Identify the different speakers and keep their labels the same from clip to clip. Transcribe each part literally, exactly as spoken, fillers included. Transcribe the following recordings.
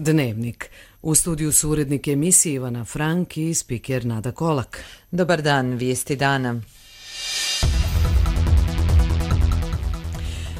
Speaker 1: Dnevnik. U studiju su urednik emisije Ivana Frank i spiker Nada Kolak.
Speaker 2: Dobar dan, vijesti dana.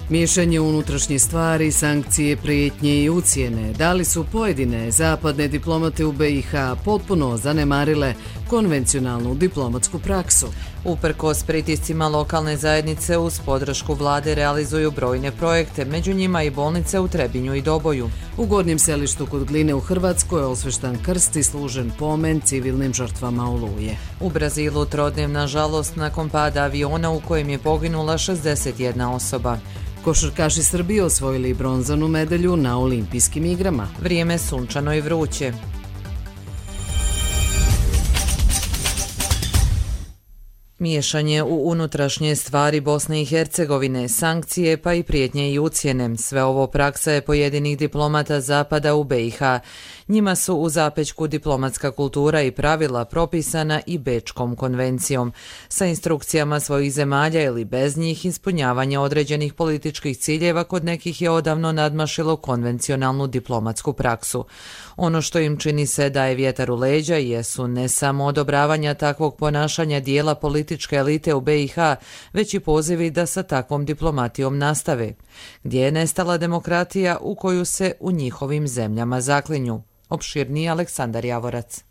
Speaker 1: Miješanje u unutrašnje stvari, sankcije, prijetnje i ucjene. Da li su pojedine zapadne diplomate u be i ha potpuno zanemarile konvencionalnu diplomatsku praksu?
Speaker 2: Uprkos pritiscima lokalne zajednice uz podršku vlade realizuju brojne projekte, među njima i bolnice u Trebinju i Doboju.
Speaker 1: U Gornjem Selištu kod Gline u Hrvatskoj osveštan krst i služen pomen civilnim žrtvama Oluje.
Speaker 2: U Brazilu trodnevna žalost nakon pada aviona u kojem je poginula šezdeset jedna osoba.
Speaker 1: Košarkaši Srbije osvojili bronzanu medalju na olimpijskim igrama.
Speaker 2: Vrijeme sunčano i vruće. Miješanje u unutrašnje stvari Bosne i Hercegovine, sankcije pa i prijetnje i ucjene. Sve ovo praksa je pojedinih diplomata zapada u be i ha. Njima su u zapećku diplomatska kultura i pravila propisana i Bečkom konvencijom. Sa instrukcijama svojih zemalja ili bez njih ispunjavanje određenih političkih ciljeva kod nekih je odavno nadmašilo konvencionalnu diplomatsku praksu. Ono što im čini se da je vjetar u leđa jesu ne samo odobravanja takvog ponašanja dijela političke elite u be i ha, već i pozivi da sa takvom diplomatijom nastave. Gdje je nestala demokratija u koju se u njihovim zemljama zaklinju? Opširniji Aleksandar Javorac.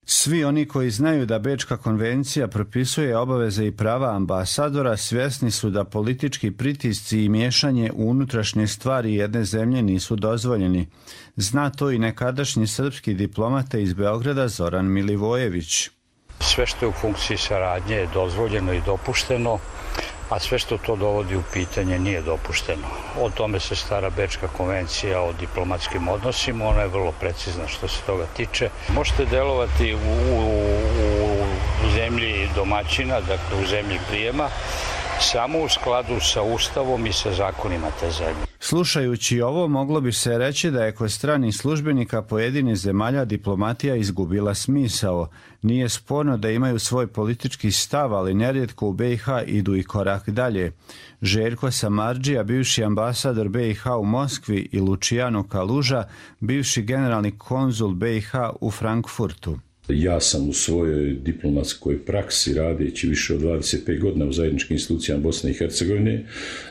Speaker 3: Svi oni koji znaju da Bečka konvencija propisuje obaveze i prava ambasadora svjesni su da politički pritisci i miješanje u unutrašnje stvari jedne zemlje nisu dozvoljeni. Zna to i nekadašnji srpski diplomata iz Beograda Zoran Milivojević.
Speaker 4: Sve što je u funkciji saradnje je dozvoljeno i dopušteno, a sve što to dovodi u pitanje nije dopušteno. O tome se stara Bečka konvencija o diplomatskim odnosima, ona je vrlo precizna što se toga tiče. Možete delovati u, u, u zemlji domaćina, dakle u zemlji prijema, samo u skladu sa Ustavom i sa zakonima te zemlje.
Speaker 3: Slušajući ovo, moglo bi se reći da je kod stranih službenika pojedinih zemalja diplomatija izgubila smisao. Nije sporno da imaju svoj politički stav, ali nerijetko u be i ha idu i korak dalje. Željko Samardžija, bivši ambasador be i ha u Moskvi, i Luciano Kaluža, bivši generalni konzul be i ha u Frankfurtu.
Speaker 5: Ja sam u svojoj diplomatskoj praksi, radeći više od dvadeset pet godina u zajedničkim institucijama Bosne i Hercegovine,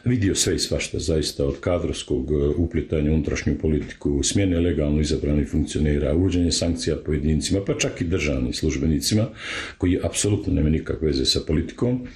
Speaker 5: vidio sve i svašta, zaista od kadrovskog uplitanja u unutrašnju politiku, smjene legalno izabranih funkcionera, uvođenje sankcija pojedincima, pa čak i državnim službenicima, koji apsolutno nema nikakve veze sa politikom,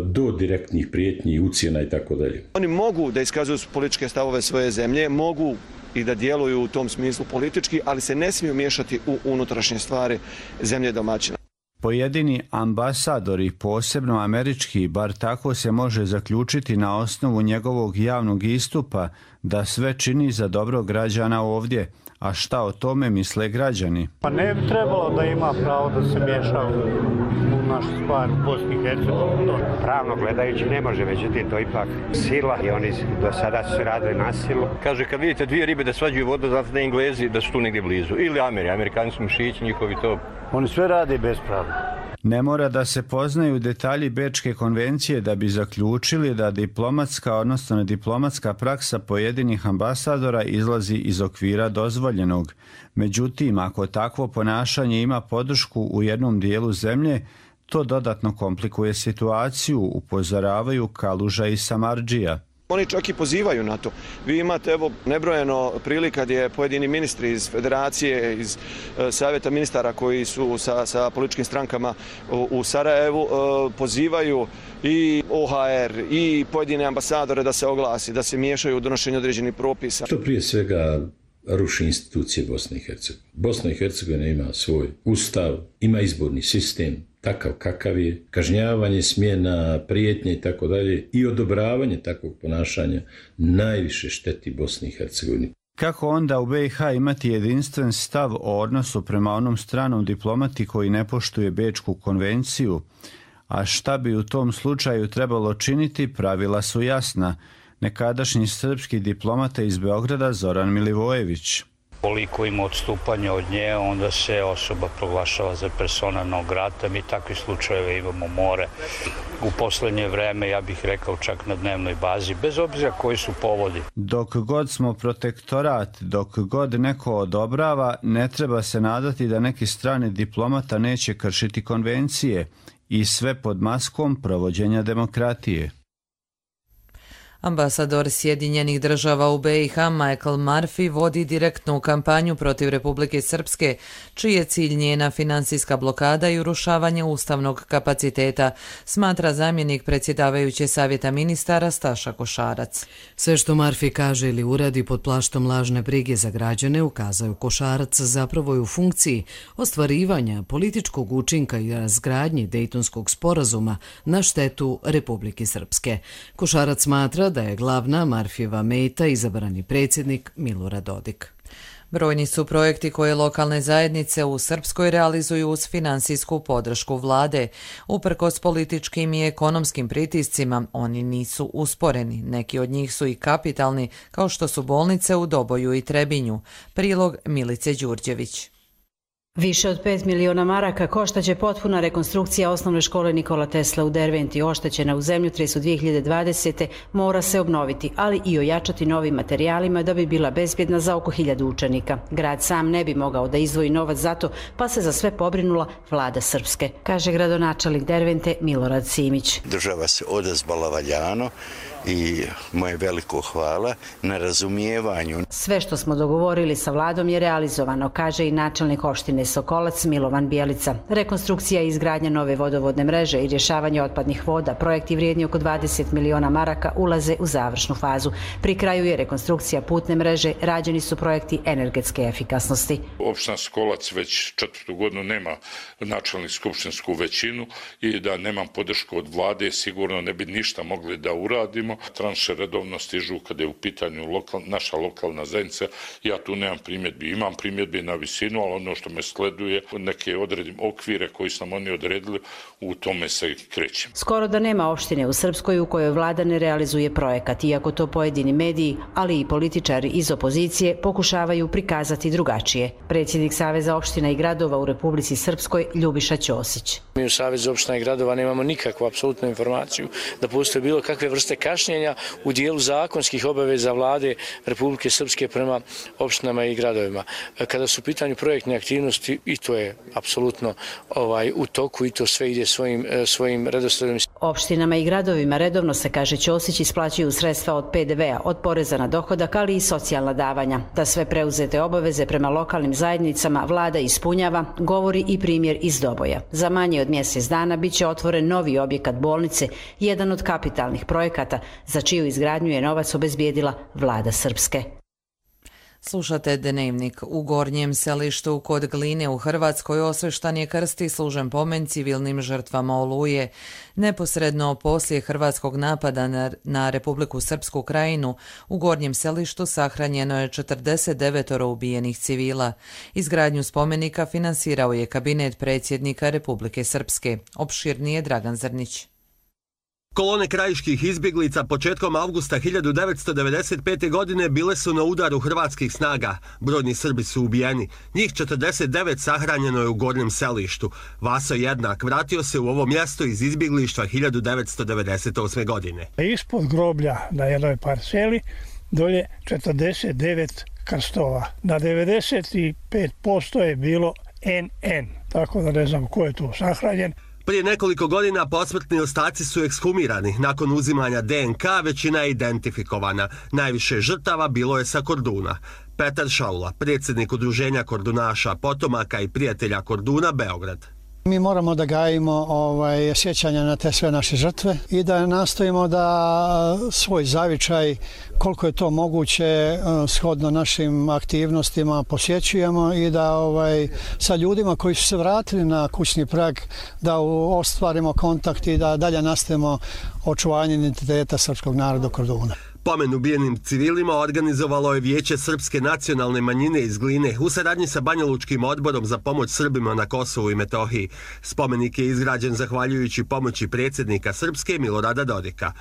Speaker 5: do direktnih prijetnji, ucjena i tako dalje.
Speaker 6: Oni mogu da iskazuju političke stavove svoje zemlje, mogu i da djeluju u tom smislu politički, ali se ne smiju miješati u unutrašnje stvari zemlje domaćina.
Speaker 3: Pojedini ambasadori, posebno američki, bar tako se može zaključiti na osnovu njegovog javnog istupa, da sve čini za dobro građana ovdje. A šta o tome misle građani?
Speaker 7: Pa ne bi trebalo da ima pravo da se miješa u našu stvar u Bosni i Hercegovini.
Speaker 8: Pravno gledajući ne može, međutim to ipak sila i oni do sada su radili na silu.
Speaker 9: Kaže, kad vidite dvije ribe da svađuju vodu, znate da Englezi da su tu negdje blizu. Ili Ameri, Amerikani su mišići, njihovi to.
Speaker 7: Oni sve rade bespravno.
Speaker 3: Ne mora da se poznaju detalji Bečke konvencije da bi zaključili da diplomatska, odnosno diplomatska praksa pojedinih ambasadora izlazi iz okvira dozvoljenog. Međutim, ako takvo ponašanje ima podršku u jednom dijelu zemlje, to dodatno komplikuje situaciju, upozoravaju Kaluža i Samardžija.
Speaker 6: Oni čak i pozivaju na to. Vi imate evo nebrojeno prilika gdje pojedini ministri iz federacije, iz e, savjeta ministara koji su sa, sa političkim strankama u, u Sarajevu e, pozivaju i o ha er i pojedine ambasadore da se oglasi, da se miješaju u donošenje određenih propisa.
Speaker 5: To prije svega ruši institucije Bosne i Hercegovine. Bosna i Hercegovina ima svoj ustav, ima izborni sistem, takav kakav je, kažnjavanje, smjena, prijetnje i tako dalje i odobravanje takvog ponašanja najviše šteti Bosni i Hercegovini.
Speaker 3: Kako onda u be i ha imati jedinstven stav o odnosu prema onom stranom diplomati koji ne poštuje Bečku konvenciju? A šta bi u tom slučaju trebalo činiti, pravila su jasna. Nekadašnji srpski diplomata iz Beograda Zoran Milivojević.
Speaker 4: Koliko ima odstupanja od nje, onda se osoba proglašava za persona non grata. Mi takvi slučajeve imamo more. U poslednje vreme, ja bih rekao čak na dnevnoj bazi, bez obzira koji su povodi.
Speaker 3: Dok god smo protektorat, dok god neko odobrava, ne treba se nadati da neki strani diplomata neće kršiti konvencije i sve pod maskom provođenja demokratije.
Speaker 2: Ambasador Sjedinjenih država u B i H Michael Murphy vodi direktnu kampanju protiv Republike Srpske, čiji je cilj njena finansijska blokada i urušavanje ustavnog kapaciteta, smatra zamjenik predsjedavajuće savjeta ministara Staša Košarac.
Speaker 1: Sve što Murphy kaže ili uradi pod plaštom lažne brige za građane, ukazao Košarac, zapravo je u funkciji ostvarivanja političkog učinka i razgradnje Dejtonskog sporazuma na štetu Republike Srpske. Košarac smatra da je glavna Murphyjeva meta izabrani predsjednik Milorad Dodik.
Speaker 2: Brojni su projekti koje lokalne zajednice u Srpskoj realizuju uz finansijsku podršku vlade. Uprkos političkim i ekonomskim pritiscima, oni nisu usporeni. Neki od njih su i kapitalni, kao što su bolnice u Doboju i Trebinju. Prilog Milice Đurđević.
Speaker 10: Više od pet miliona maraka koštaće potpuna rekonstrukcija osnovne škole Nikola Tesla u Derventi, oštećena u zemljotresu dvije hiljade dvadesete. Mora se obnoviti, ali i ojačati novim materijalima da bi bila bezbjedna za oko hiljadu učenika. Grad sam ne bi mogao da izdvoji novac za to, pa se za sve pobrinula vlada Srpske, kaže gradonačelnik Dervente Milorad Simić.
Speaker 11: Država se odazvala valjano i moje veliko hvala na razumijevanju.
Speaker 10: Sve što smo dogovorili sa vladom je realizovano, kaže i načelnik opštine Sokolac Milovan Bjelica. Rekonstrukcija i izgradnja nove vodovodne mreže i rješavanje otpadnih voda, projekti vrijedni oko dvadeset miliona maraka, ulaze u završnu fazu. Pri kraju je rekonstrukcija putne mreže, rađeni su projekti energetske efikasnosti.
Speaker 12: Opština Sokolac već četvrtu godinu nema načelnik skupštinsku većinu i da nemam podršku od vlade, sigurno ne bi ništa mogli da uradimo. Tranše redovno stižu kada je u pitanju lokal, naša lokalna zajednica. Ja tu nemam primjedbi. Imam primjedbi na visinu, ali ono što me sleduje, neke odredim okvire koji su nam oni odredili, u tome se krećem.
Speaker 10: Skoro da nema opštine u Srpskoj u kojoj vlada ne realizuje projekat, iako to pojedini mediji, ali i političari iz opozicije pokušavaju prikazati drugačije. Predsjednik Saveza opština i gradova u Republici Srpskoj Ljubiša Ćosić.
Speaker 13: Mi u Savezu opština i gradova nemamo nikakvu apsolutnu informaciju da postoje bilo kakve vrste kašnjenja u dijelu zakonskih obaveza vlade Republike Srpske prema opštinama i gradovima. Kada su u pitanju projektne aktivnosti, i to je apsolutno ovaj, u toku i to sve ide svojim, svojim redosledom.
Speaker 10: Opštinama i gradovima redovno se, kaže Ćosić, isplaćuju sredstva od P D V-a, od poreza na dohodak, ali i socijalna davanja. Da sve preuzete obaveze prema lokalnim zajednicama vlada ispunjava, govori i primjer iz Doboja. Za manje od mjesec dana biće otvoren novi objekat bolnice, jedan od kapitalnih projekata za čiju izgradnju je novac obezbijedila vlada Srpske.
Speaker 2: Slušate Dnevnik. U Gornjem Selištu kod Gline u Hrvatskoj osveštan je krst i služen pomen civilnim žrtvama Oluje. Neposredno poslije hrvatskog napada na, na Republiku Srpsku Krajinu, u Gornjem Selištu sahranjeno je četrdeset devet ubijenih civila. Izgradnju spomenika finansirao je kabinet predsjednika Republike Srpske. Opširnije Dragan Zrnić.
Speaker 14: Kolone krajiških izbjeglica početkom avgusta hiljadu devetsto devedeset pete. godine bile su na udaru hrvatskih snaga. Brojni Srbi su ubijeni. Njih četrdeset devet sahranjeno je u Gornjem Selištu. Vaso Jednak vratio se u ovo mjesto iz izbjeglištva hiljadu devetsto devedeset osme. godine.
Speaker 15: Ispod groblja na jednoj parceli dolje četrdeset devet krstova. Na devedeset pet posto je bilo en en, tako da ne znam ko je tu sahranjen.
Speaker 14: Prije nekoliko godina posmrtni ostaci su ekshumirani. Nakon uzimanja D N K većina je identifikovana. Najviše žrtava bilo je sa Korduna. Petar Šaula, predsjednik udruženja Kordunaša, potomaka i prijatelja Korduna, Beograd.
Speaker 16: Mi moramo da gajimo ovaj, sjećanja na te sve naše žrtve i da nastojimo da svoj zavičaj, koliko je to moguće, shodno našim aktivnostima posjećujemo i da ovaj, sa ljudima koji su se vratili na kućni prag, da ostvarimo kontakt i da dalje nastavimo očuvanje identiteta srpskog naroda Korduna.
Speaker 14: Pomen ubijenim civilima organizovalo je Vijeće Srpske nacionalne manjine iz Gline u saradnji sa Banjalučkim odborom za pomoć Srbima na Kosovu i Metohiji. Spomenik je izgrađen zahvaljujući pomoći predsjednika Srpske Milorada Dodika.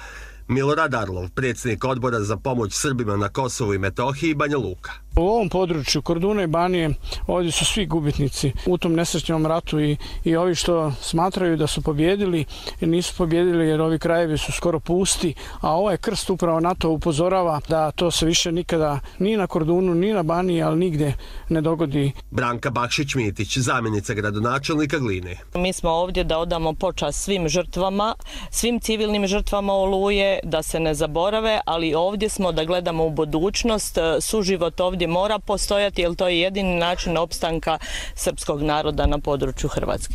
Speaker 14: Milorad Arlov, predsjednik odbora za pomoć Srbima na Kosovu i Metohiji, Banja Luka.
Speaker 15: U ovom području Korduna i Banije ovdje su svi gubitnici u tom nesrećnom ratu i, i ovi što smatraju da su pobjedili nisu pobjedili jer ovi krajevi su skoro pusti, a ovaj krst upravo na to upozorava da to se više nikada ni na Kordunu ni na Baniji, ali nigdje ne dogodi.
Speaker 14: Branka Bakšić-Mitić, zamjenica gradonačelnika Gline.
Speaker 17: Mi smo ovdje da odamo počast svim žrtvama, svim civilnim žrtvama Oluje, da se ne zaborave, ali ovdje smo da gledamo u budućnost, suživot ovdje mora postojati jer to je jedini način opstanka srpskog naroda na području Hrvatske.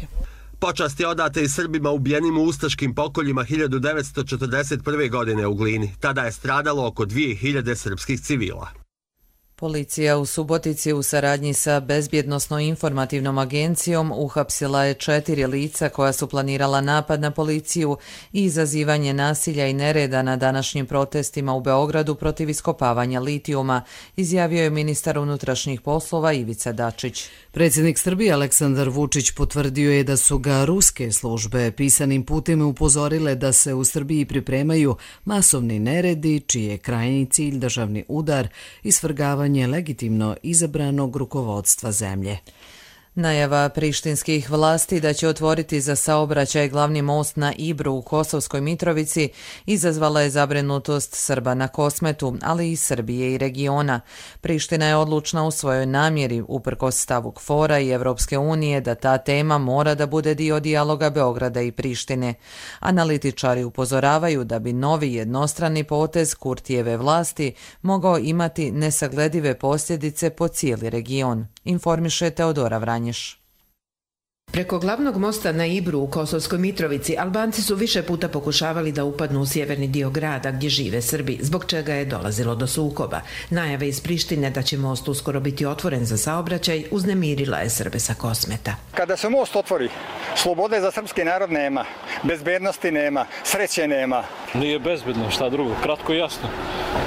Speaker 14: Počast je odata i Srbima ubijenim u ustaškim pokoljima hiljadu devetsto četrdeset prve. godine u Glini. Tada je stradalo oko dvije hiljade srpskih civila.
Speaker 2: Policija u Subotici u saradnji sa Bezbjednosno-informativnom agencijom uhapsila je četiri lica koja su planirala napad na policiju i izazivanje nasilja i nereda na današnjim protestima u Beogradu protiv iskopavanja litijuma, izjavio je ministar unutrašnjih poslova Ivica Dačić.
Speaker 1: Predsjednik Srbije Aleksandar Vučić potvrdio je da su ga ruske službe pisanim putem upozorile da se u Srbiji pripremaju masovni neredi, čiji je krajnji cilj državni udar i svrgavanje legitimno izabranog rukovodstva zemlje.
Speaker 2: Najava prištinskih vlasti da će otvoriti za saobraćaj glavni most na Ibru u Kosovskoj Mitrovici izazvala je zabrinutost Srba na Kosmetu, ali i Srbije i regiona. Priština je odlučna u svojoj namjeri, uprkos stavu KFOR-a i Evropske unije, da ta tema mora da bude dio dijaloga Beograda i Prištine. Analitičari upozoravaju da bi novi jednostrani potez Kurtijeve vlasti mogao imati nesagledive posljedice po cijeli region. Informiše Teodora Vranješ.
Speaker 18: Preko glavnog mosta na Ibru u Kosovskoj Mitrovici Albanci su više puta pokušavali da upadnu u sjeverni dio grada gdje žive Srbi, zbog čega je dolazilo do sukoba. Najave iz Prištine da će most uskoro biti otvoren za saobraćaj uznemirila je Srbe sa Kosmeta.
Speaker 19: Kada se most otvori, slobode za srpski narod nema, bezbednosti nema, sreće nema.
Speaker 20: Nije bezbedno, šta drugo, kratko i jasno.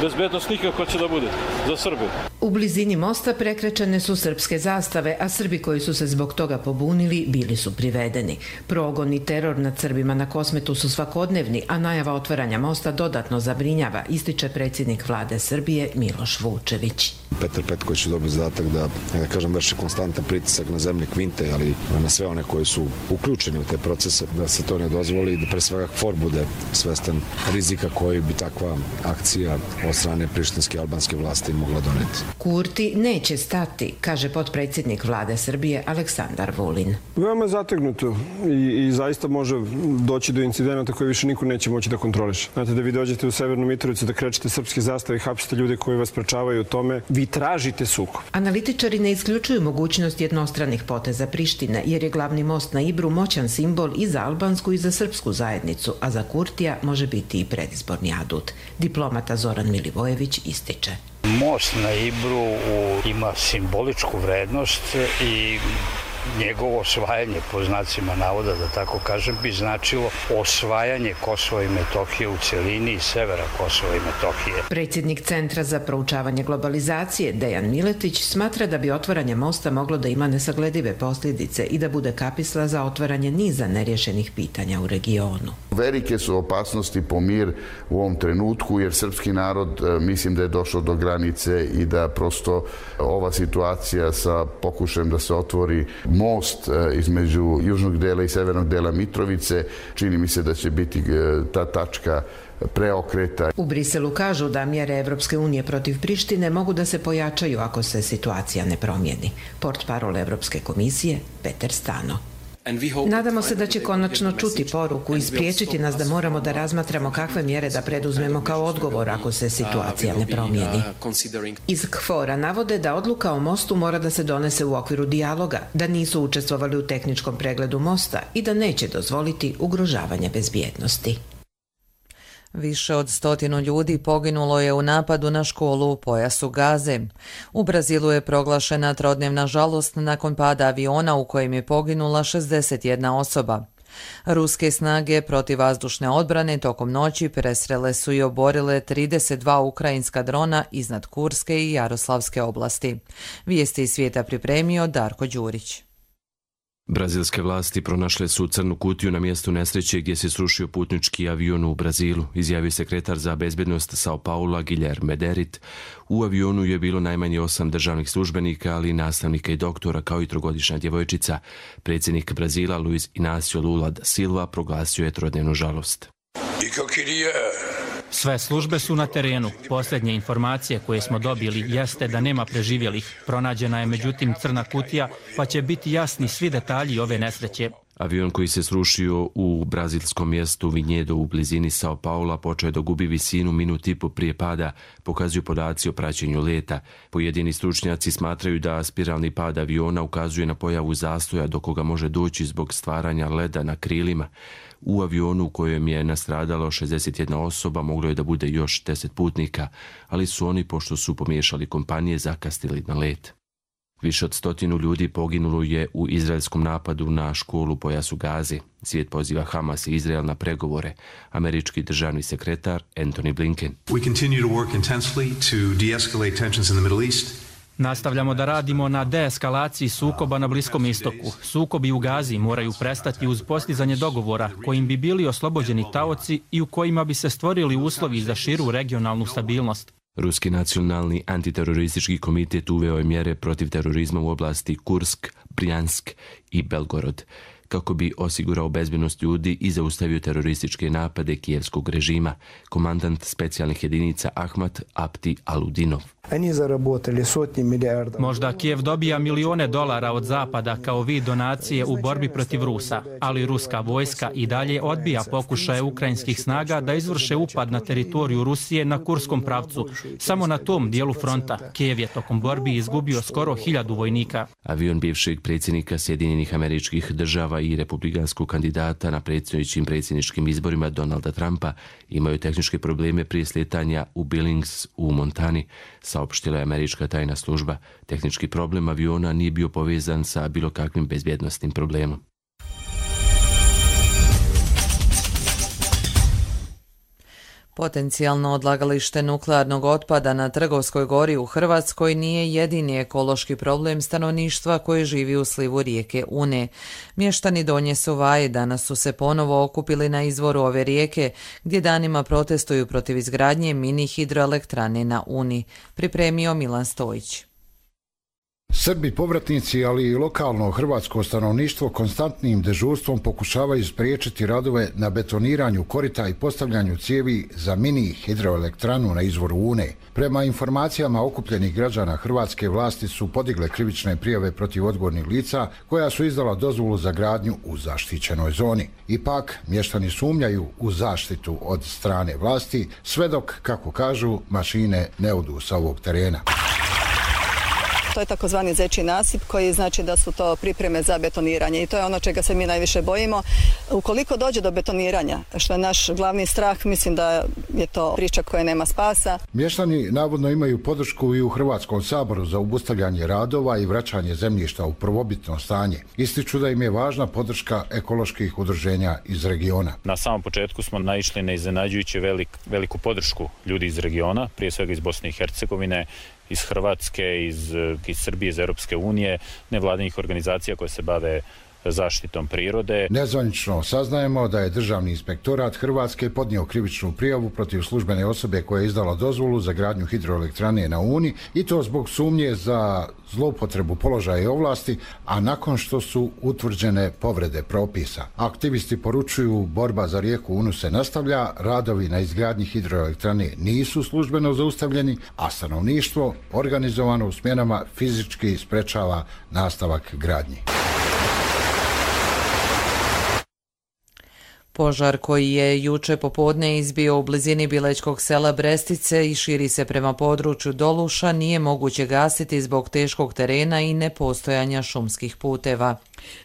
Speaker 20: Bezbednost nikako će da bude za Srbe.
Speaker 18: U blizini mosta prekrečene su srpske zastave, a Srbi koji su se zbog toga pobunili bili su privedeni. Progon i teror nad Srbima na Kosmetu su svakodnevni, a najava otvaranja mosta dodatno zabrinjava, ističe predsjednik vlade Srbije Miloš Vučević.
Speaker 21: Petar Petković je dobio zadatak da, da kažem, vrši konstantan pritisak na zemlje Kvinte, ali na sve one koji su uključeni u te procese, da se to ne dozvoli i da pre svega KFOR bude svestan rizika koji bi takva akcija od strane prištinske albanske vlasti mogla doneti.
Speaker 18: Kurti neće stati, kaže potpredsjednik vlade Srbije Aleksandar Vulin.
Speaker 22: Veoma je zategnuto i, i zaista može doći do incidenata koje više niko neće moći da kontroliše. Znate, da vi dođete u Severnu Mitrovicu, da krećete srpske zastave i hapsite ljude koji vas sprečavaju u tome, vi tražite sukob.
Speaker 18: Analitičari ne isključuju mogućnost jednostranih poteza Prištine, jer je glavni most na Ibru moćan simbol i za albansku i za srpsku zajednicu, a za Kurtija može biti i predizborni adut. Diplomata Zoran Milivojević ističe.
Speaker 4: Most na Ibru ima simboličku vrednost i njegovo osvajanje, po znacima navoda, da tako kažem, bi značilo osvajanje Kosova i Metohije u celini i severa Kosova i Metohije.
Speaker 18: Predsjednik Centra za proučavanje globalizacije Dejan Miletić smatra da bi otvaranje mosta moglo da ima nesagledive posljedice i da bude kapisla za otvaranje niza nerješenih pitanja u regionu.
Speaker 23: Velike su opasnosti po mir u ovom trenutku, jer srpski narod mislim da je došao do granice i da prosto ova situacija sa pokušajem da se otvori most između južnog dela i severnog dela Mitrovice, čini mi se da će biti ta tačka preokreta.
Speaker 18: U Briselu kažu da mjere Evropske unije protiv Prištine mogu da se pojačaju ako se situacija ne promijeni. Portparol Evropske komisije Peter Stano. Nadamo se da će konačno čuti poruku i spriječiti nas da moramo da razmatramo kakve mjere da preduzmemo kao odgovor ako se situacija ne promijeni. Iz KFOR-a navode da odluka o mostu mora da se donese u okviru dijaloga, da nisu učestvovali u tehničkom pregledu mosta i da neće dozvoliti ugrožavanje bezbjednosti.
Speaker 2: Više od stotinu ljudi poginulo je u napadu na školu u pojasu Gaze. U Brazilu je proglašena trodnevna žalost nakon pada aviona u kojem je poginula šezdeset jedna osoba. Ruske snage protivvazdušne odbrane tokom noći presrele su i oborile trideset dva ukrajinska drona iznad Kurske i Jaroslavske oblasti. Vijesti iz svijeta pripremio Darko Đurić.
Speaker 7: Brazilske vlasti pronašle su crnu kutiju na mjestu nesreće gdje se srušio putnički avion u Brazilu, izjavio sekretar za bezbednost Sao Paula Guilherme Derit. U avionu je bilo najmanje osam državnih službenika, ali i nastavnika i doktora, kao i trogodišnja djevojčica. Predsjednik Brazila Luiz Inácio Lula da Silva proglasio je trodnevnu žalost.
Speaker 8: Sve službe su na terenu. Posljednje informacije koje smo dobili jeste da nema preživjelih. Pronađena je međutim crna kutija, pa će biti jasni svi detalji ove nesreće.
Speaker 7: Avion koji se srušio u brazilskom mjestu Vinhedo u blizini Sao Paula počeo je da gubi visinu minut i po prije pada, pokazuju podaci o praćenju leta. Pojedini stručnjaci smatraju da spiralni pad aviona ukazuje na pojavu zastoja do koga može doći zbog stvaranja leda na krilima. U avionu u kojem je nastradalo šezdeset jedna osoba moglo je da bude još deset putnika, ali su oni, pošto su pomiješali kompanije, zakasnili na let. Više od stotinu ljudi poginulo je u izraelskom napadu na školu u pojasu Gaze. Svijet poziva Hamas i Izrael na pregovore. Američki državni sekretar Antony Blinken.
Speaker 9: We continue to work intensely to de-escalate tensions in the Middle East.
Speaker 8: Nastavljamo da radimo na deeskalaciji sukoba na Bliskom istoku. Sukobi u Gazi moraju prestati uz postizanje dogovora kojim bi bili oslobođeni taoci i u kojima bi se stvorili uslovi za širu regionalnu stabilnost.
Speaker 7: Ruski nacionalni antiteroristički komitet uveo je mjere protiv terorizma u oblasti Kursk, Brjansk i Belgorod, kako bi osigurao bezbednost ljudi i zaustavio terorističke napade kijevskog režima, komandant specijalnih jedinica Ahmat Apti Aludinov.
Speaker 8: Možda Kijev dobija milione dolara od Zapada kao vid donacije u borbi protiv Rusa, ali ruska vojska i dalje odbija pokušaje ukrajinskih snaga da izvrše upad na teritoriju Rusije na Kurskom pravcu. Samo na tom dijelu fronta Kijev je tokom borbi izgubio skoro hiljadu vojnika.
Speaker 7: Avion bivšeg predsjednika Sjedinjenih Američkih Država i republikanskog kandidata na predstojećim predsjedničkim izborima Donalda Trumpa imaju tehničke probleme prije sletanja u Billings u Montani, saopštila je američka tajna služba. Tehnički problem aviona nije bio povezan sa bilo kakvim bezbjednosnim problemom.
Speaker 2: Potencijalno odlagalište nuklearnog otpada na Trgovskoj gori u Hrvatskoj nije jedini ekološki problem stanovništva koji živi u slivu rijeke Une. Mještani Donje Suvaje danas su se ponovo okupili na izvoru ove rijeke, gdje danima protestuju protiv izgradnje mini hidroelektrane na Uni. Pripremio Milan Stojić.
Speaker 24: Srbi povratnici, ali i lokalno hrvatsko stanovništvo konstantnim dežurstvom pokušavaju spriječiti radove na betoniranju korita i postavljanju cijevi za mini hidroelektranu na izvoru Une. Prema informacijama okupljenih građana, hrvatske vlasti su podigle krivične prijave protiv odgovornih lica koja su izdala dozvolu za gradnju u zaštićenoj zoni. Ipak, mještani sumnjaju u zaštitu od strane vlasti, sve dok, kako kažu, mašine ne odu sa ovog terena.
Speaker 25: To je takozvani zečji nasip koji znači da su to pripreme za betoniranje i to je ono čega se mi najviše bojimo. Ukoliko dođe do betoniranja, što je naš glavni strah, mislim da je to priča koja nema spasa.
Speaker 24: Mještani navodno imaju podršku i u Hrvatskom saboru za obustavljanje radova i vraćanje zemljišta u prvobitno stanje. Ističu da im je važna podrška ekoloških udruženja iz regiona.
Speaker 26: Na samom početku smo naišli na iznenađujuće velik, veliku podršku ljudi iz regiona, prije svega iz Bosne i Hercegovine, iz Hrvatske, iz, iz Srbije, iz Europske unije, nevladinih organizacija koje se bave zaštitom prirode.
Speaker 24: Nezvanično saznajemo da je Državni inspektorat Hrvatske podnio krivičnu prijavu protiv službene osobe koja je izdala dozvolu za gradnju hidroelektrane na Uni i to zbog sumnje za zloupotrebu položaja i ovlasti, a nakon što su utvrđene povrede propisa. Aktivisti poručuju borba za rijeku Unu se nastavlja, radovi na izgradnji hidroelektrane nisu službeno zaustavljeni, a stanovništvo organizovano u smjenama fizički sprečava nastavak gradnji.
Speaker 2: Požar koji je juče popodne izbio u blizini bilečkog sela Brestice i širi se prema području Doluša nije moguće gasiti zbog teškog terena i nepostojanja šumskih puteva.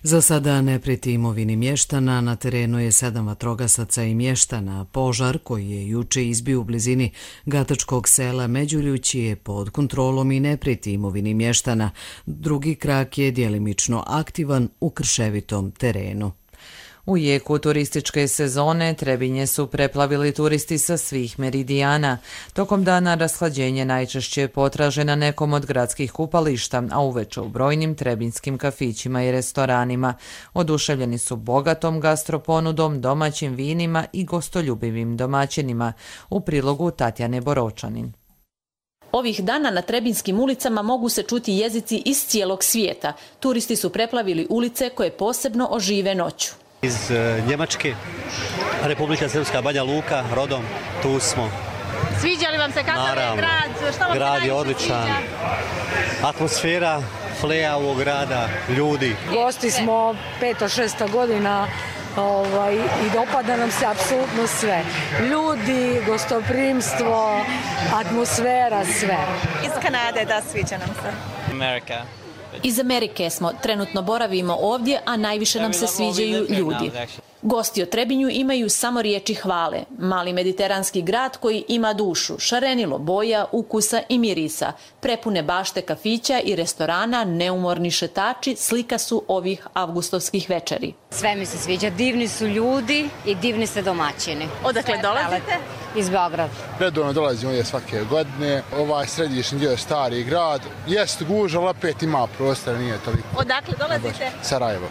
Speaker 1: Za sada ne prijeti imovini mještana, na terenu je sedam vatrogasaca i mještana. Požar koji je juče izbio u blizini Gatačkog sela Međuljući je pod kontrolom i ne prijeti imovini mještana. Drugi krak je djelimično aktivan u krševitom terenu.
Speaker 2: U jeku turističke sezone Trebinje su preplavili turisti sa svih meridijana. Tokom dana rashlađenje najčešće potraže na nekom od gradskih kupališta, a uveče u brojnim trebinjskim kafićima i restoranima. Oduševljeni su bogatom gastroponudom, domaćim vinima i gostoljubivim domaćinima. U prilogu Tatjane Boročanin.
Speaker 3: Ovih dana na trebinjskim ulicama mogu se čuti jezici iz cijelog svijeta. Turisti su preplavili ulice koje posebno ožive noću.
Speaker 5: Iz Njemačke, Republika Srpska, Banja Luka, rodom, tu smo.
Speaker 3: Sviđa li vam se kakav je grad? Što vam se
Speaker 5: grad je odličan. Atmosfera, fleja ovog grada, ljudi.
Speaker 6: Gosti smo peto, šesta godina ovaj, i dopada nam se apsolutno sve. Ljudi, gostoprimstvo, atmosfera, sve.
Speaker 3: Iz Kanade, da, sviđa nam se.
Speaker 5: Amerika.
Speaker 3: Iz Amerike smo, trenutno boravimo ovdje, a najviše nam se sviđaju ljudi. Gosti o Trebinju imaju samo riječi hvale. Mali mediteranski grad koji ima dušu, šarenilo boja, ukusa i mirisa. Prepune bašte kafića i restorana, neumorni šetači slika su ovih avgustovskih večeri.
Speaker 11: Sve mi se sviđa, divni su ljudi i divni ste domaćini.
Speaker 3: Odakle dolazite?
Speaker 11: Iz Beograda.
Speaker 12: Redovno dolazimo ovdje svake godine. Ovaj središnji dio je stari grad. Jest guža, ali opet ima prostora, nije toliko.
Speaker 3: Odakle dolazite?
Speaker 12: Sarajevo.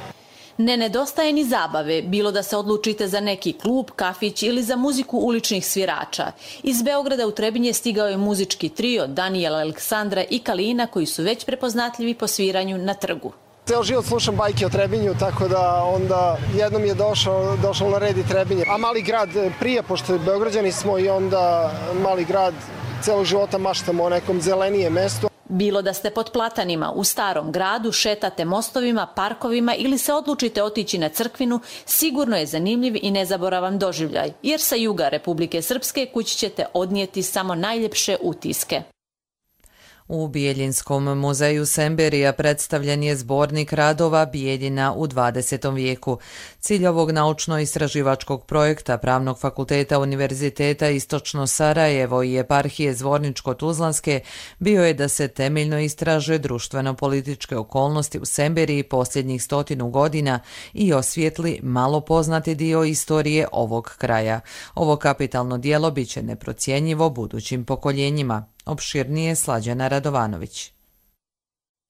Speaker 3: Ne nedostaje ni zabave, bilo da se odlučite za neki klub, kafić ili za muziku uličnih svirača. Iz Beograda u Trebinje stigao je muzički trio Danijela, Aleksandra i Kalina koji su već prepoznatljivi po sviranju na trgu.
Speaker 13: Ceo život slušam bajke o Trebinju, tako da onda jednom je došao, došao na red i Trebinje. A mali grad prije, pošto Beograđani smo i onda mali grad celog života maštamo o nekom zelenijem mestu.
Speaker 3: Bilo da ste pod platanima, u starom gradu, šetate mostovima, parkovima ili se odlučite otići na crkvinu, sigurno je zanimljiv i nezaboravan doživljaj, jer sa juga Republike Srpske kući ćete odnijeti samo najljepše utiske.
Speaker 2: U Bijeljinskom muzeju Semberija predstavljen je zbornik radova Bijeljina u dvadesetom vijeku. Cilj ovog naučno-istraživačkog projekta Pravnog fakulteta Univerziteta Istočno Sarajevo i eparhije Zvorničko-Tuzlanske bio je da se temeljno istraže društveno-političke okolnosti u Semberiji posljednjih stotinu godina i osvijetli malo poznati dio istorije ovog kraja. Ovo kapitalno djelo bit će neprocjenjivo budućim pokoljenjima. Opširnije Slađana Radovanović.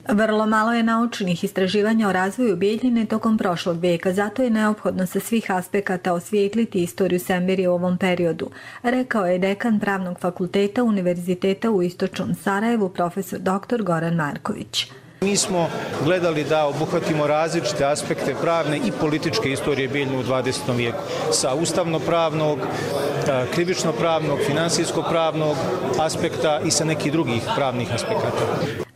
Speaker 27: Vrlo malo je naučnih istraživanja o razvoju Bijeljine tokom prošlog vijeka, zato je neophodno sa svih aspekata osvijetliti istoriju Semberije u ovom periodu, rekao je dekan Pravnog fakulteta Univerziteta u Istočnom Sarajevu profesor doktor Goran Marković.
Speaker 28: Mi smo gledali da obuhvatimo različite aspekte pravne i političke istorije Bijeljine u dvadesetom vijeku, sa ustavno-pravnog, krivično-pravnog, finansijsko-pravnog aspekta i sa nekih drugih pravnih aspekata.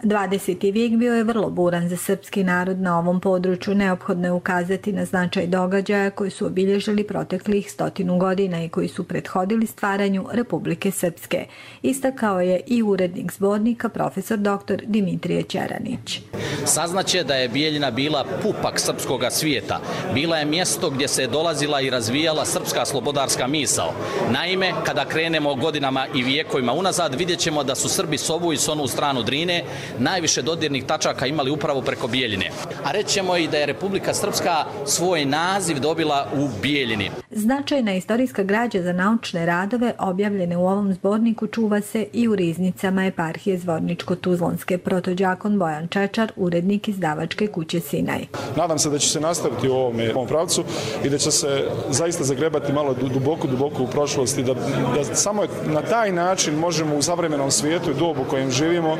Speaker 27: dvadeseti vijek bio je vrlo buran za srpski narod na ovom području. Neophodno je ukazati na značaj događaja koji su obilježili proteklih stotinu godina i koji su prethodili stvaranju Republike Srpske. Istakao je i urednik zbornika profesor doktor Dimitrije Ćeranić.
Speaker 29: Saznaće da je Bijeljina bila pupak srpskoga svijeta. Bila je mjesto gdje se dolazila i razvijala srpska slobodarska misao. Naime, kada krenemo godinama i vijekovima unazad, vidjet ćemo da su Srbi s ovu i s onu stranu Drine najviše dodirnih tačaka imali upravo preko Bijeljine. A rećemo i da je Republika Srpska svoj naziv dobila u Bijeljini.
Speaker 27: Značajna istorijska građa za naučne radove objavljene u ovom zborniku čuva se i u riznicama eparhije Zvorničko-Tuzlanske. Protođakon Bojan Čečar, urednik izdavačke kuće Sinaj.
Speaker 30: Nadam se da će se nastaviti u ovom, ovom pravcu i da će se zaista zagrebati malo duboko, duboko u prošlosti, da, da samo na taj način možemo u savremenom svijetu i dobu u kojem živimo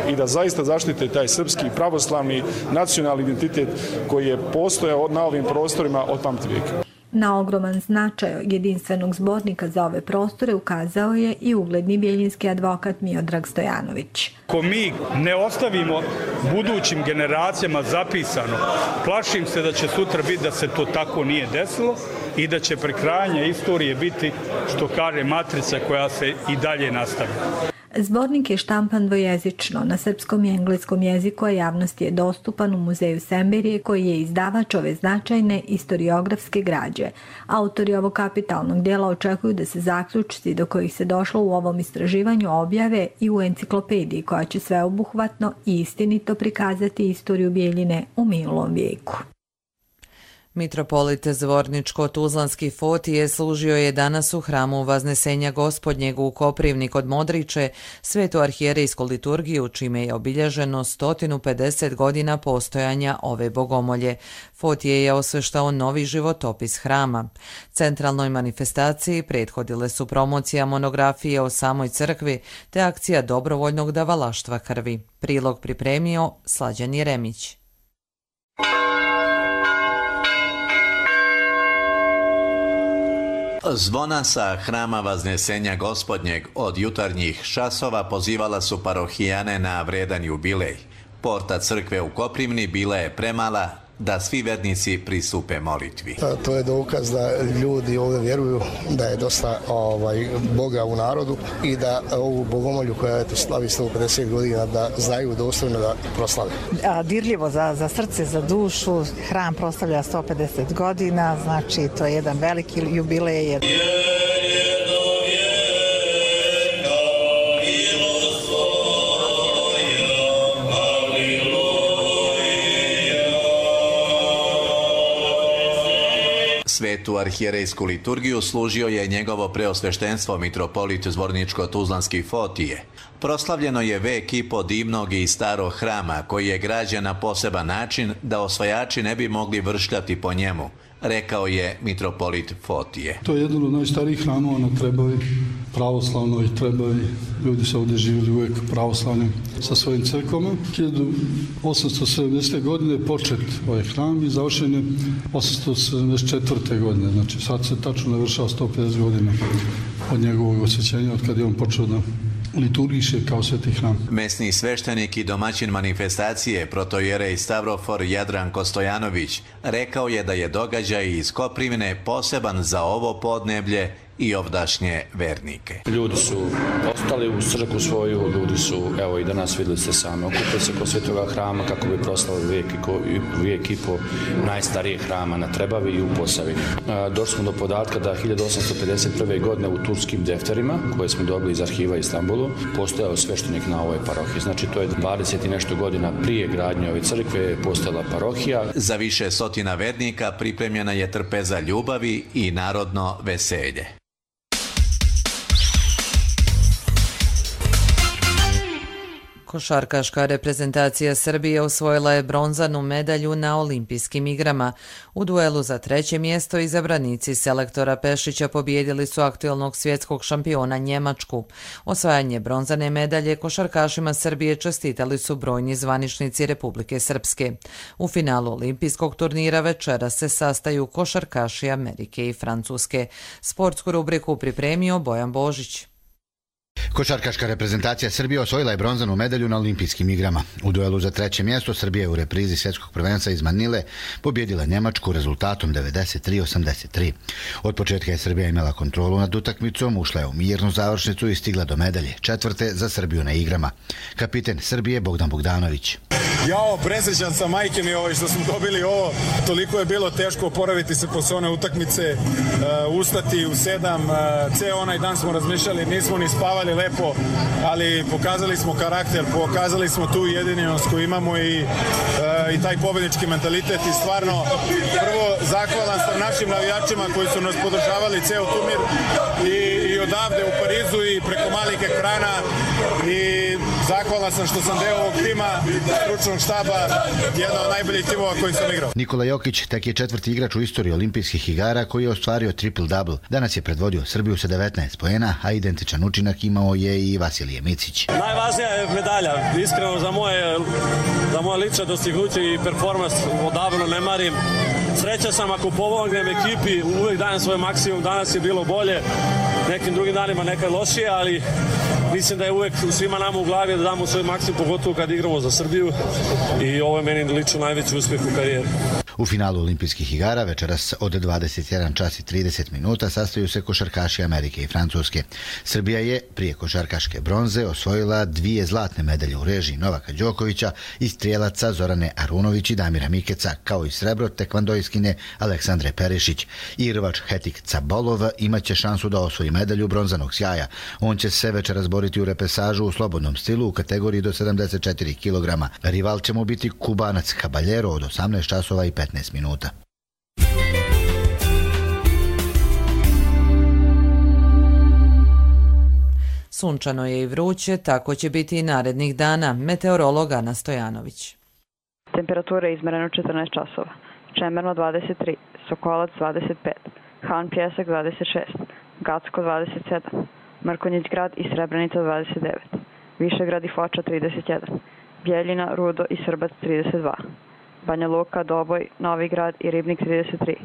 Speaker 30: i da zaista zaštite taj srpski pravoslavni nacionalni identitet koji je postojao na ovim prostorima od pamtivijeka.
Speaker 27: Na ogroman značaj jedinstvenog zbornika za ove prostore ukazao je i ugledni bijeljinski advokat Miodrag Stojanović.
Speaker 31: Ako mi ne ostavimo budućim generacijama zapisano, plašim se da će sutra biti da se to tako nije desilo i da će prekrajanje istorije biti, što kaže, matrica koja se i dalje nastavlja.
Speaker 27: Zbornik je štampan dvojezično na srpskom i engleskom jeziku, a javnosti je dostupan u muzeju Semberije koji je izdavač ove značajne istoriografske građe. Autori ovog kapitalnog djela očekuju da se zaključci do kojih se došlo u ovom istraživanju objave i u enciklopediji koja će sveobuhvatno i istinito prikazati istoriju Bijeljine u minulom vijeku.
Speaker 2: Mitropolit Zvorničko-Tuzlanski Fotije služio je danas u hramu Vaznesenja Gospodnjeg u Koprivni kod Modriče svetu arhijerejsku liturgiju, čime je obilježeno sto pedeset godina postojanja ove bogomolje. Fotije je osveštao novi životopis hrama. Centralnoj manifestaciji prethodile su promocija monografije o samoj crkvi te akcija dobrovoljnog davalaštva krvi. Prilog pripremio Slađan Jeremić.
Speaker 4: Zvona sa hrama Vaznesenja Gospodnjeg od jutarnjih časova pozivala su parohijane na vredan jubilej. Porta crkve u Koprivni bila je premala da svi vernici pristupe molitvi.
Speaker 10: To je dokaz da ljudi ovdje vjeruju da je dosta ovaj, Boga u narodu i da ovu bogomolju koja je slavi sto pedeset godina da znaju dostojno da proslave.
Speaker 14: A, dirljivo za, za srce, za dušu. Hram proslavlja sto pedeset godina, znači to je jedan veliki jubilej. Jer...
Speaker 4: Svetu arhijerejsku liturgiju služio je njegovo preosveštenstvo mitropolit Zvorničko-Tuzlanski Fotije. Proslavljeno je vek i po divnog i starog hrama koji je građen na poseban način da osvajači ne bi mogli vršljati po njemu, rekao je mitropolit Fotije.
Speaker 15: To je jedan od najstarijih hramova na Trebavi, pravoslavnoj Trebavi. Ljudi su ovdje živjeli uvijek pravoslavnim sa svojim crkvama. hiljadu osamsto sedamdesete. godine počet ovaj hram i završen je osamsto sedamdeset četvrte. godine. Znači sad se tačno navršava sto pedeset godina od njegovog osvećenja, od kada je on počeo da liturgiše kao sveti hram.
Speaker 4: Mesni sveštenik i domaćin manifestacije protojerej Stavrofor Jadranko Stojanović rekao je da je događaj iz Koprivne poseban za ovo podneblje i ovdašnje vernike.
Speaker 16: Ljudi su ostali u crkvu svoju, ljudi su, evo i danas vidjeli ste sami, okupili se kod svetoga hrama kako bi proslavili vijek i, ko, vijek i po najstarijeg hrama na Trebavi i u Posavini. Došli smo do podatka da hiljadu osamsto pedeset prve. godine u turskim defterima, koje smo dobili iz arhiva Istanbulu, postojao sveštenik na ovoj parohiji. Znači to je dvadeset i nešto godina prije gradnje ove crkve postojala parohija.
Speaker 4: Za više stotina vernika pripremljena je trpeza ljubavi i narodno veselje.
Speaker 2: Košarkaška reprezentacija Srbije osvojila je bronzanu medalju na Olimpijskim igrama. U duelu za treće mjesto izabranici selektora Pešića pobijedili su aktuelnog svjetskog šampiona Njemačku. Osvajanje bronzane medalje košarkašima Srbije čestitali su brojni zvaničnici Republike Srpske. U finalu olimpijskog turnira večera se sastaju košarkaši Amerike i Francuske. Sportsku rubriku pripremio Bojan Božić.
Speaker 24: Košarkaška reprezentacija Srbije osvojila je bronzanu medalju na Olimpijskim igrama. U duelu za treće mjesto Srbija u reprizi svjetskog prvenstva iz Manile pobjedila Njemačku rezultatom devedeset tri osamdeset tri. Od početka je Srbija imala kontrolu nad utakmicom, ušla je u mirnu završnicu i stigla do medalje, četvrte za Srbiju na igrama. Kapiten Srbije Bogdan Bogdanović.
Speaker 17: Jao, presrećan sam, majke mi ovo što smo dobili ovo. Toliko je bilo teško oporaviti se posle one utakmice, uh, ustati u sedam, uh, ceo onaj dan smo razmišljali, nismo ni spavali lepo, ali pokazali smo karakter, pokazali smo tu jedinjenost koju imamo i, uh, i taj pobednički mentalitet i stvarno prvo zahvalan sam našim navijačima koji su nas podržavali ceo turnir i, i odavde u Parizu i preko malih ekrana i zahvalan sam što sam deo ovog tima, stručnog štaba, jedna od najboljih timova koji sam igrao.
Speaker 24: Nikola Jokić tek je četvrti igrač u istoriji olimpijskih igara koji je ostvario triple-double. Danas je predvodio Srbiju sa devetnaest poena, a identičan učinak imao je i Vasilije Micić.
Speaker 19: Najvažnija je medalja. Iskreno za moje, za moje lične dostignuće i performans odavno ne marim. Sreća sam ako pomognem ekipi, uvijek dajem svoj maksimum, danas je bilo bolje, nekim drugim danima nekad lošije, ali mislim da je uvijek svima nama u glavi da damo svoj maksimum, pogotovo kad igramo za Srbiju i ovo je meni lično najveći uspjeh u karijeri.
Speaker 24: U finalu olimpijskih igara večeras od dvadeset jedan čas i trideset minuta sastaju se košarkaši Amerike i Francuske. Srbija je prije košarkaške bronze osvojila dvije zlatne medalje u režiji Novaka Đokovića i strijelaca Zorane Arunović i Damira Mikeca, kao i srebro tekvandojskine Aleksandre Perišić. Irvač Hetik Cabolov imaće šansu da osvoji medalju bronzanog sjaja. On će se večeras boriti u repesažu u slobodnom stilu u kategoriji do sedamdeset četiri kilograma. Rival će mu biti Kubanac Caballero od osamnaest časova i petnaest minuta.
Speaker 2: Sunčano je i vruće, tako će biti i narednih dana. Meteorolog Ana Stojanović.
Speaker 1: Temperatura je izmerena u četrnaest časova. Čemerno dvadeset tri, Sokolac dvadeset pet, Han Pjesak dvadeset šest, Gacko dvadeset sedam, Mrkonjić grad i Srebrenica dvadeset devet, Višegrad i Foča trideset jedan, Bjeljina, Rudo i Srbac trideset dva, Banja Luka, Doboj, Novi grad i Ribnik trideset tri,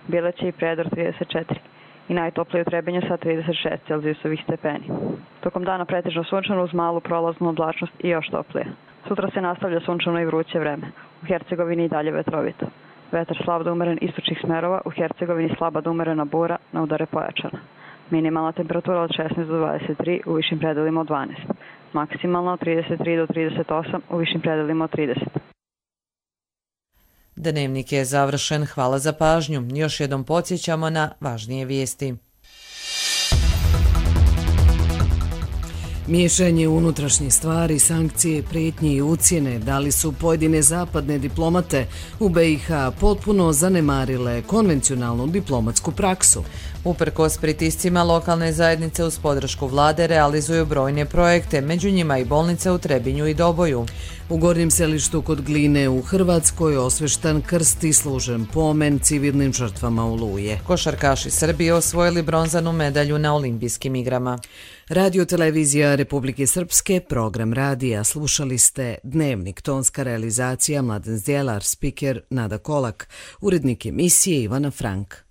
Speaker 1: Bileće i Predor trideset četiri i najtoplije u Trebinju sa trideset šest Celzijusovih stepeni. Tokom dana pretežno sunčano uz malu prolaznu oblačnost i još toplije. Sutra se nastavlja sunčano i vruće vreme. U Hercegovini i dalje vetrovito. Vetar slab da umeren istočnih smerova, u Hercegovini slaba da umerena bura, na udare pojačana. Minimalna temperatura od šesnaest do dvadeset tri, u višim predelima od dvanaest. Maksimalna od trideset tri do trideset osam, u višim predelima od trideset.
Speaker 2: Dnevnik je završen, hvala za pažnju. Još jednom podsjećamo na važnije vijesti.
Speaker 7: Miješanje unutrašnjih stvari, sankcije, prijetnje i ucjene da li su pojedine zapadne diplomate u B i H potpuno zanemarile konvencionalnu diplomatsku praksu.
Speaker 2: Uprkos pritiscima, lokalne zajednice uz podršku vlade realizuju brojne projekte, među njima i bolnice u Trebinju i Doboju.
Speaker 7: U Gornjem Selištu kod Gline u Hrvatskoj osveštan krst i služen pomen civilnim žrtvama Oluje.
Speaker 2: Košarkaši Srbije osvojili bronzanu medalju na olimpijskim igrama.
Speaker 7: Radio televizija Republike Srpske, program radija, slušali ste Dnevnik, tonska realizacija Mladen Zdjelar, spiker Nada Kolak, urednik emisije Ivana Frank.